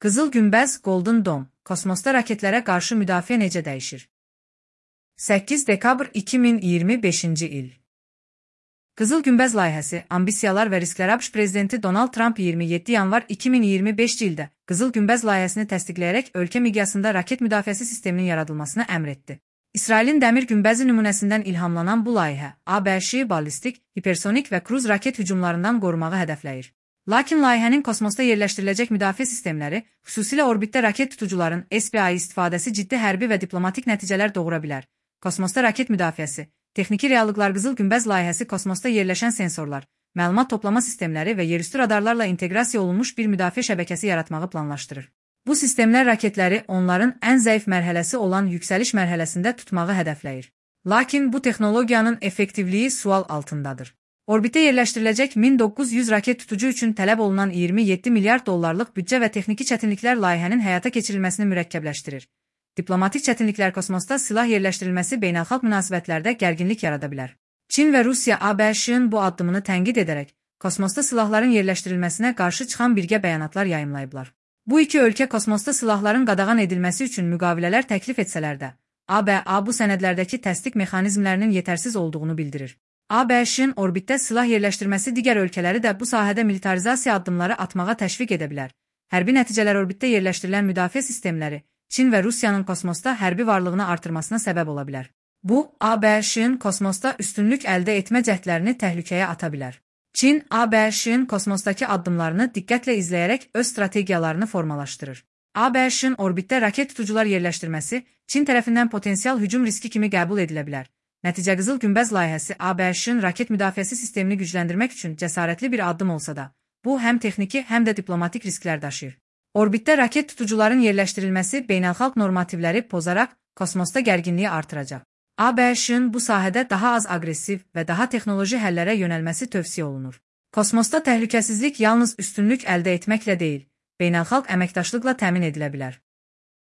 Qızıl Günbəz, Golden Dome, kosmosda raketlərə qarşı müdafiə necə dəyişir? 8 dekabr 2025-ci il. Qızıl Günbəz layihəsi, ambisiyalar və risklər. ABŞ prezidenti Donald Trump 27 yanvar 2025-ci ildə Qızıl Günbəz layihəsini təsdiqləyərək ölkə miqyasında raket müdafiəsi sisteminin yaradılmasını əmr etdi. İsrailin dəmir günbəzi nümunəsindən ilhamlanan bu layihə, ABŞ-i ballistik, hipersonik və kruz raket hücumlarından qorumağı hədəfləyir. Lakin layihənin kosmosda yerləşdiriləcək müdafiə sistemləri, xüsusilə orbitdə raket tutucuların SPI istifadəsi ciddi hərbi və diplomatik nəticələr doğura bilər. Kosmosda raket müdafiəsi, texniki reallıqlar. Qızıl Günbəz layihəsi kosmosda yerləşən sensorlar, məlumat toplama sistemləri və yerüstü radarlarla inteqrasiya olunmuş bir müdafiə şəbəkəsi yaratmağı planlaşdırır. Bu sistemlər raketləri onların ən zəif mərhələsi olan yüksəliş mərhələsində tutmağı hədəfləyir. Lakin bu texnologiyanın effektivliyi sual altındadır. Orbitə yerləşdiriləcək 1900 raket tutucu üçün tələb olunan 27 milyard dollarlıq büdcə və texniki çətinliklər layihənin həyata keçirilməsini mürəkkəbləşdirir. Diplomatik çətinliklər. Kosmosda silah yerləşdirilməsi beynəlxalq münasibətlərdə gərginlik yarada bilər. Çin və Rusiya ABŞ-ın bu addımını tənqid edərək, kosmosda silahların yerləşdirilməsinə qarşı çıxan birgə bəyanatlar yayımlayıblar. Bu iki ölkə kosmosda silahların qadağan edilməsi üçün müqavilələr təklif etsələr də, ABŞ bu sənədlərdəki təsdiq mexanizmlərinin yetərsiz olduğunu bildirir. ABŞ-ın orbitdə silah yerləşdirməsi digər ölkələri də bu sahədə militarizasiya addımları atmağa təşviq edə bilər. Hərbi nəticələr. Orbitdə yerləşdirilən müdafiə sistemləri Çin və Rusiyanın kosmosda hərbi varlığını artırmasına səbəb ola bilər. Bu, ABŞ-ın kosmosda üstünlük əldə etmə cəhdlərini təhlükəyə ata bilər. Çin, ABŞ-ın kosmosdakı addımlarını diqqətlə izləyərək öz strategiyalarını formalaşdırır. ABŞ-ın orbitdə raket tutucular yerləşdirməsi Çin tərəfindən potensial hücum riski kimi qəbul edilə bilər. Nəticə. Qızıl Günbəz layihəsi ABŞ-ın raket müdafiəsi sistemini gücləndirmək üçün cəsarətli bir addım olsa da, bu həm texniki, həm də diplomatik risklər daşıyır. Orbitdə raket tutucuların yerləşdirilməsi beynəlxalq normativləri pozaraq kosmosda gərginliyi artıracaq. ABŞ-ın bu sahədə daha az aqressiv və daha texnoloji həllərə yönəlməsi tövsiyə olunur. Kosmosda təhlükəsizlik yalnız üstünlük əldə etməklə deyil, beynəlxalq əməkdaşlıqla təmin edilə bilər.